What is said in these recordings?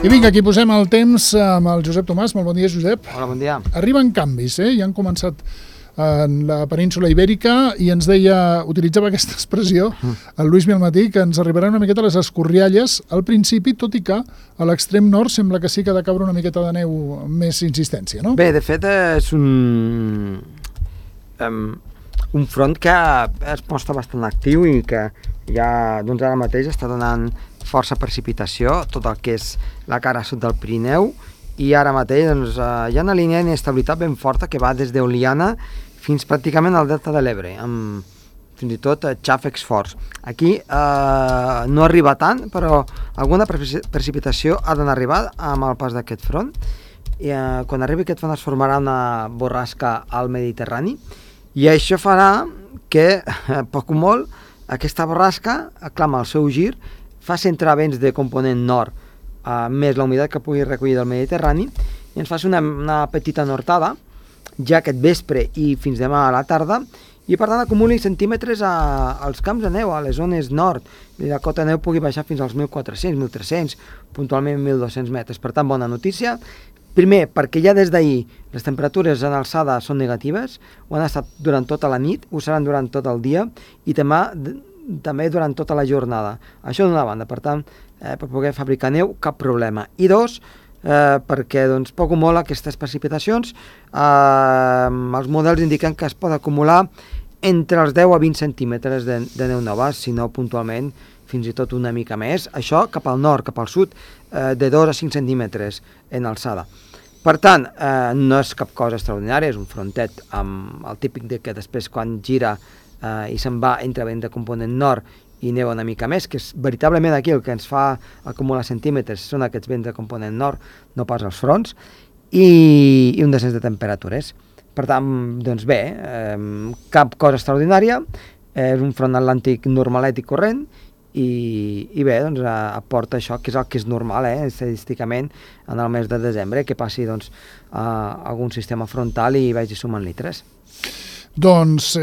I vinga, aquí posem el temps amb el Josep Tomàs. Molt bon dia, Josep. Hola, bon dia. Arriben canvis, ja han començat en la península Ibèrica i ens deia, utilitzava aquesta expressió, el Lluís Milmatí, que ens arribaran una miqueta les escorrialles al principi, tot i que a l'extrem nord sembla que sí que ha de caure una miqueta de neu amb més insistència, no? Bé, de fet és un front que es mostra bastant actiu i que ja doncs ara mateix està donant força precipitació, tot el que és la cara sud del Pirineu, i ara mateix doncs, hi ha una línia d'inestabilitat ben forta que va des d'Oliana fins pràcticament al delta de l'Ebre, amb fins i tot xàfecs forts. Aquí no arriba tant, però alguna precipitació ha d'arribar amb el pas d'aquest front. I, quan arribi aquest front es formarà una borrasca al Mediterrani i això farà que, poc o molt, aquesta borrasca aclama el seu gir, fa centrar vents de component nord, més la humitat que pugui recollir del Mediterrani, i ens faci una petita nortada ja aquest vespre i fins demà a la tarda, i per tant acumuli centímetres als camps de neu, a les zones nord, i la cota de neu pugui baixar fins als 1.400, 1.300, puntualment 1.200 metres. Per tant, bona notícia. Primer, perquè ja des d'ahir les temperatures en alçada són negatives, ho han estat durant tota la nit, ho seran durant tot el dia, i també durant tota la jornada. Això d'una banda, per tant, per poder fabricar neu, cap problema. I dos, perquè doncs, poc o molt aquestes precipitacions, els models indiquen que es pot acumular entre els 10 a 20 centímetres de neu nova, si no puntualment fins i tot una mica més. Això cap al nord, cap al sud, de 2 a 5 centímetres en alçada. Per tant, no és cap cosa extraordinària, és un frontet amb el típic de que després quan gira i se'n va entre vent de component nord i neu una mica més, que és veritablement aquí el que ens fa acumular centímetres, són aquests vents de component nord, no pas els fronts, i un descens de temperatures. Per tant, doncs bé, cap cosa extraordinària, és un front atlàntic normalet i corrent, i bé, doncs aporta això, que és el que és normal, estadísticament, en el mes de desembre, que passi doncs, algun sistema frontal i vagi sumant litres. Doncs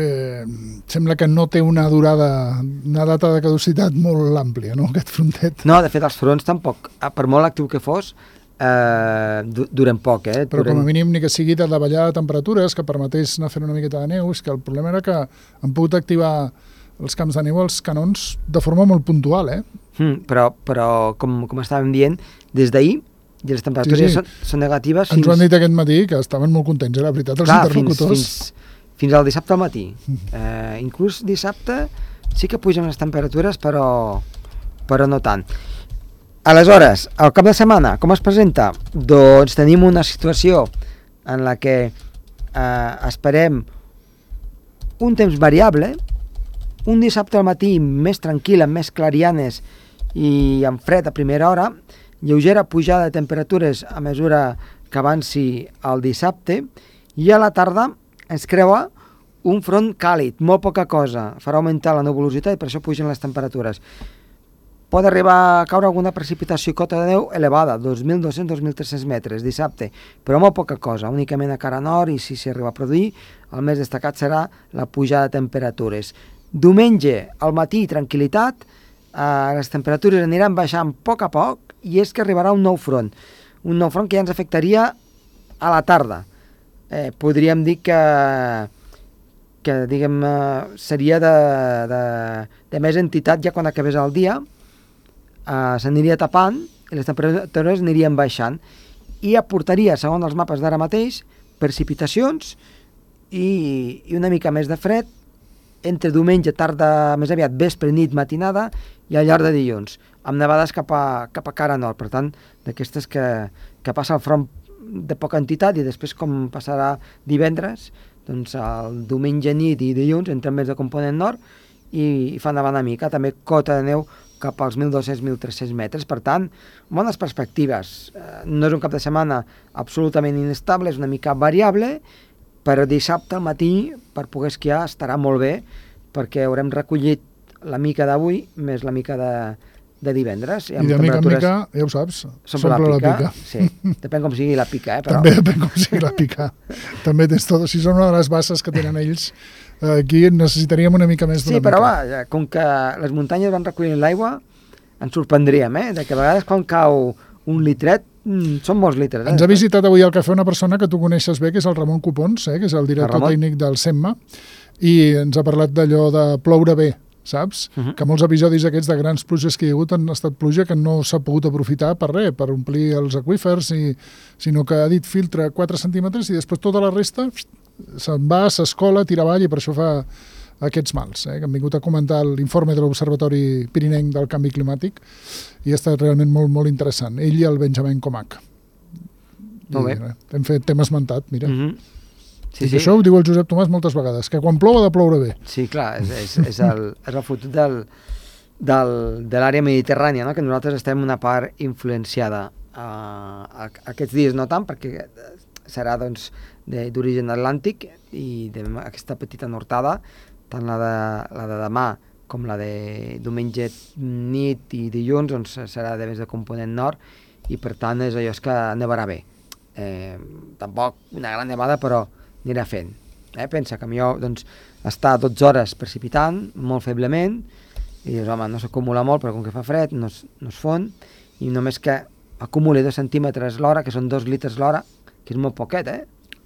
sembla que no té una data de caducitat molt àmplia, no, aquest frontet? No, de fet, els fronts tampoc, per molt actiu que fos, duren poc. Però com a mínim ni que sigui de davallar temperatures, que permetés anar fent una miqueta de neu, és que el problema era que han pogut activar els camps de neu, els canons, de forma molt puntual, Però com estàvem dient, des d'ahir, i les temperatures són negatives... Ens ho han dit aquest matí, que estaven molt contents, la veritat, els interlocutors. Fins al dissabte al matí. Inclús dissabte sí que pugen les temperatures, però no tant. Aleshores, al cap de setmana, com es presenta? Doncs tenim una situació en la que esperem un temps variable, un dissabte al matí més tranquil, amb més clarianes i amb fred a primera hora, lleugera pujada de temperatures a mesura que avanci el dissabte, i a la tarda ens creua un front càlid, molt poca cosa, farà augmentar la nuvolositat i per això pugen les temperatures. Pot arribar a caure alguna precipitació i cota de neu elevada, 2.200-2.300 metres dissabte, però molt poca cosa, únicament a cara nord, i si s'arriba a produir, el més destacat serà la pujada de temperatures. Diumenge, al matí, tranquil·litat, les temperatures aniran baixant a poc, i és que arribarà un nou front que ja ens afectaria a la tarda. Podríem dir que diguem, seria de més entitat ja quan acabés el dia, s'aniria tapant i les temperatures anirien baixant i aportaria, segons els mapes d'ara mateix, precipitacions i una mica més de fred entre diumenge, tarda, més aviat vespre, nit, matinada i al llarg de dilluns, amb nevades cap a cara nord. Per tant, d'aquestes que passa el front de poca entitat i després com passarà divendres, doncs el diumenge nit i dilluns entren més de component nord i fa nevar una mica, també cota de neu cap als 1.200-1.300 metres, per tant, bones perspectives. No és un cap de setmana absolutament inestable, és una mica variable, però dissabte al matí per poder esquiar estarà molt bé perquè haurem recollit la mica d'avui més la mica de divendres. I de mica en mica, ja ho saps, s'omple la pica. Sí, depèn com sigui la pica, però... També depèn com sigui la pica. També tens tot, si són una de les basses que tenen ells, aquí necessitaríem una mica més d'una mica. Sí, però va, com que les muntanyes van recollint l'aigua, ens sorprendríem, de que a vegades quan cau un litret, són molts litres. Ens ha visitat avui al cafè una persona que tu coneixes bé, que és el Ramon Copons, que és el director tècnic del SEMMA, i ens ha parlat d'allò de ploure bé, saps? Que molts episodis aquests de grans pluges que hi ha hagut han estat pluja que no s'ha pogut aprofitar per res, per omplir els aqüífers, sinó que ha dit filtra 4 centímetres i després tota la resta se'n va, s'escola, tira avall, i per això fa aquests mals, que han vingut a comentar l'informe de l'Observatori Pirinenc del Canvi Climàtic i ha estat realment molt, molt interessant. Ell i el Benjamin Comac. Molt bé. Hem fet tema esmentat, mira. Sí, I això ho diu el Josep Tomàs moltes vegades, que quan plou ha de ploure bé. Sí, clar, és el fotut de l'àrea mediterrània, no? Que nosaltres estem una part influenciada. Aquests dies no tant, perquè serà doncs, d'origen atlàntic i aquesta petita nortada, tant la de demà com la de diumenge nit i dilluns, doncs serà de més de component nord i per tant és allò que nevarà bé. Tampoc una gran nevada, però anirà fent. Pensa que millor doncs, està 12 hores precipitant, molt feblement, i dius, home, no s'acumula molt, però com que fa fred no es fon, i només que acumuli 2 centímetres l'hora, que són 2 litres l'hora, que és molt poquet,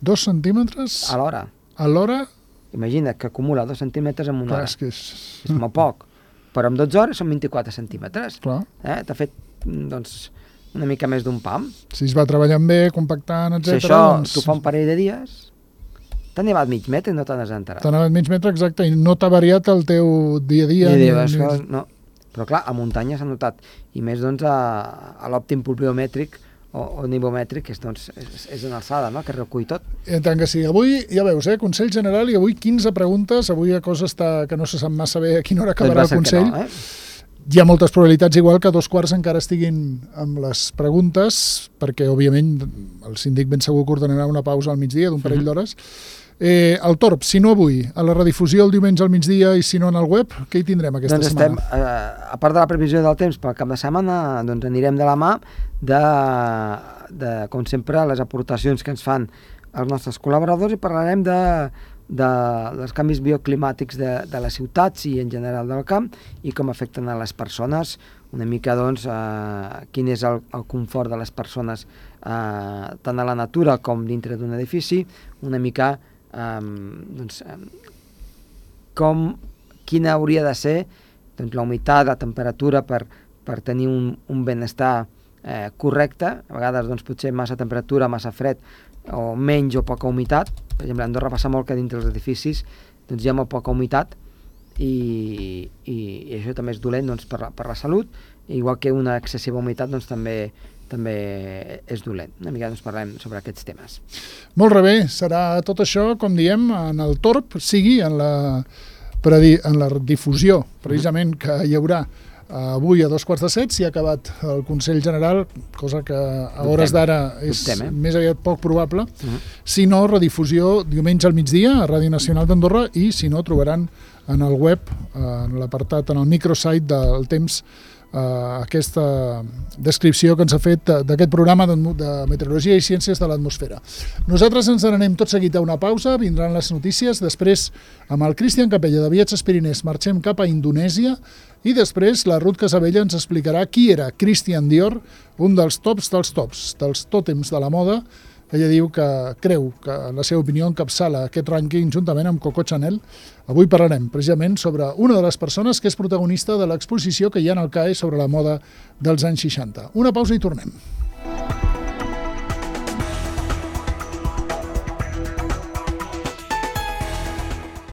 2 centímetres? A l'hora. A l'hora? Imagina't que acumula 2 centímetres en una hora. És molt poc. Però en 12 hores són 24 centímetres. T'ha fet, doncs, una mica més d'un pam. Si es va treballant bé, compactant, etc. Si això t'ho fa un parell de dies, t'ha nevat mig metre i no te n'has enterat. T'ha nevat mig metre, exacte, i no t'ha variat el teu dia a dia. No. Però clar, a muntanya s'ha notat. I més, doncs, a l'òptim pluviometríc o nivomètric, és en alçada, no?, que recull tot. I tant que sí. Avui, ja veus, Consell General, i avui 15 preguntes, avui la cosa està que no se sap massa bé a quina hora acabarà el Consell. No, Hi ha moltes probabilitats, igual que a 2:15 encara estiguin amb les preguntes, perquè, òbviament, el síndic ben segur que ordenarà una pausa al migdia d'un parell d'hores. El Torb, si no avui, a la redifusió el diumenge al migdia i si no en el web, què hi tindrem aquesta setmana? A part de la previsió del temps pel cap de setmana, doncs anirem de la mà de com sempre, les aportacions que ens fan els nostres col·laboradors i parlarem dels canvis bioclimàtics de les ciutats i en general del camp i com afecten a les persones, una mica doncs quin és el confort de les persones tant a la natura com dintre d'un edifici, una mica quina hauria de ser la humitat, la temperatura per tenir un benestar correcte. A vegades potser massa temperatura, massa fred o menys o poca humitat. Per exemple, a Andorra passa molt que dintre dels edificis hi ha molt poca humitat i això també és dolent per la salut, igual que una excessiva humitat també és dolent. Una mica parlem sobre aquests temes. Molt bé, serà tot això, com diem, en el Torb, sigui en la difusió, precisament, que hi haurà avui a 2:15, si ha acabat el Consell General, cosa que a hores d'ara és més aviat poc probable. Si no, redifusió diumenge al migdia a Ràdio Nacional d'Andorra i, si no, trobaran en el web, en l'apartat, en el microsite del temps, aquesta descripció que ens ha fet d'aquest programa de Meteorologia i Ciències de l'Atmosfera. Nosaltres ens n'anem tot seguit a una pausa, vindran les notícies, després amb el Cristian Capella de Viatges Pirinès marxem cap a Indonèsia i després la Ruth Casabella ens explicarà qui era Christian Dior, un dels tops dels tops, dels tòtems de la moda. Ella diu que creu que, en la seva opinió, encapçala aquest rànquing juntament amb Coco Chanel. Avui parlarem precisament sobre una de les persones que és protagonista de l'exposició que hi ha en el CAE sobre la moda dels anys 60. Una pausa i tornem.